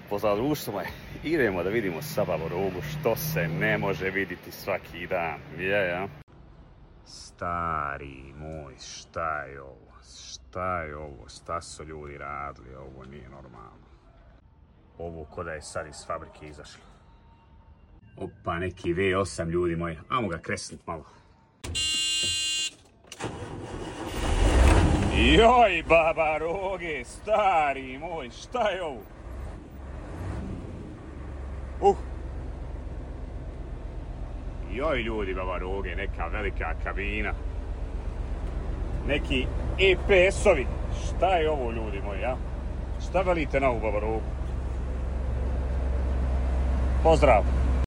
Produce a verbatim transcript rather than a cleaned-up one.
Pozdrav društvo moje, idemo da vidimo sa Bavarogu što se ne može vidjeti svaki dan. Je, ja? Stari moj, šta je ovo? Šta je ovo? Šta su ljudi radili? Ovo nije normalno. Ovo ko da je sad iz fabrike izašlo. Opa, neki V osam ljudi moji. Ajmo ga kresnit malo. Joj, Bavaroge, stari moj, šta je ovo? Uh! Joj ljudi, Bavaroge, neka velika kabina. Neki E P S-ovi. Šta je ovo ljudi moji, ja? Šta velite na ovu Bavarogu? Pozdrav!